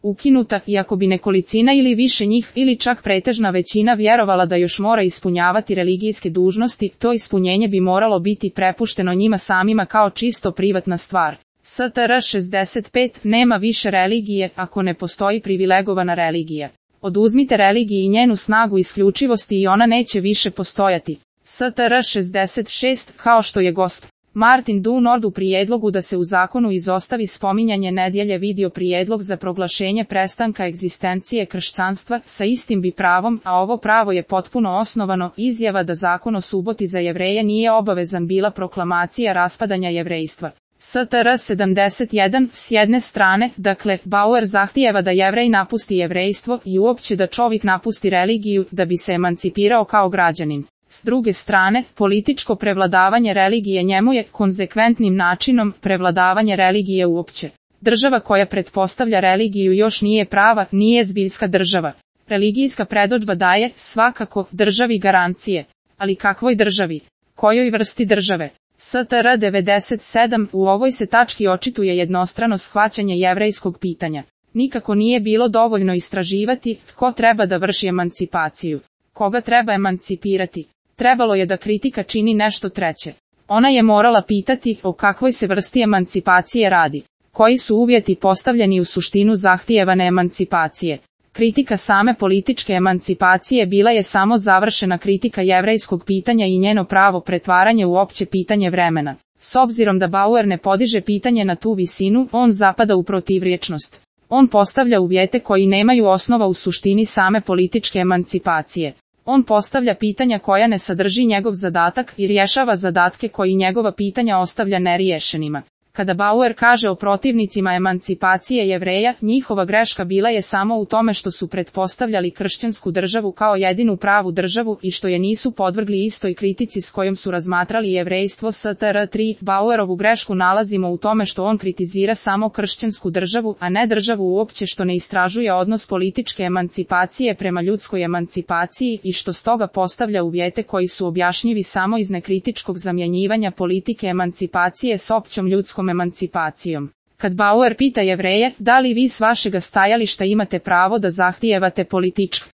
ukinuta, iako bi nekolicina ili više njih ili čak pretežna većina vjerovala da još mora ispunjavati religijske dužnosti, to ispunjenje bi moralo biti prepušteno njima samima kao čisto privatna stvar. STR 65 nema više religije ako ne postoji privilegovana religija. Oduzmite religiji njenu snagu isključivosti i ona neće više postojati. STR 66, kao što je gosp. Martin du Nord u prijedlogu da se u zakonu izostavi spominjanje nedjelje vidio prijedlog za proglašenje prestanka egzistencije kršćanstva sa istim bi pravom, a ovo pravo je potpuno osnovano, izjava da zakon o suboti za Jevreje nije obavezan bila proklamacija raspadanja jevrejstva. STR 71, s jedne strane, dakle, Bauer zahtijeva da Jevrej napusti jevrejstvo i uopće da čovjek napusti religiju da bi se emancipirao kao građanin. S druge strane, političko prevladavanje religije njemu je konzekventnim načinom prevladavanje religije uopće. Država koja pretpostavlja religiju još nije prava, nije zbiljska država. Religijska predodžba daje, svakako, državi garancije. Ali kakvoj državi? Kojoj vrsti države? STR 97, u ovoj se tački očituje jednostrano shvaćanje jevrejskog pitanja. Nikako nije bilo dovoljno istraživati tko treba da vrši emancipaciju. Koga treba emancipirati? Trebalo je da kritika čini nešto treće. Ona je morala pitati o kakvoj se vrsti emancipacije radi. Koji su uvjeti postavljeni u suštinu zahtijevane emancipacije? Kritika same političke emancipacije bila je samo završena kritika jevrejskog pitanja i njeno pravo pretvaranje u opće pitanje vremena. S obzirom da Bauer ne podiže pitanje na tu visinu, on zapada u protivrječnost. On postavlja uvjete koji nemaju osnova u suštini same političke emancipacije. On postavlja pitanja koja ne sadrži njegov zadatak i rješava zadatke koji njegova pitanja ostavlja neriješenima. Kada Bauer kaže o protivnicima emancipacije Jevreja, njihova greška bila je samo u tome što su pretpostavljali kršćansku državu kao jedinu pravu državu i što je nisu podvrgli istoj kritici s kojom su razmatrali jevrejstvo. STR 3, Bauerovu grešku nalazimo u tome što on kritizira samo kršćansku državu, a ne državu uopće, što ne istražuje odnos političke emancipacije prema ljudskoj emancipaciji i što stoga postavlja uvjete koji su objašnjivi samo iz nekritičkog zamjenjivanja politike emancipacije s općom ljudskom emancipacijom. Kad Bauer pita Jevreje, da li vi s vašega stajališta imate pravo da zahtijevate političku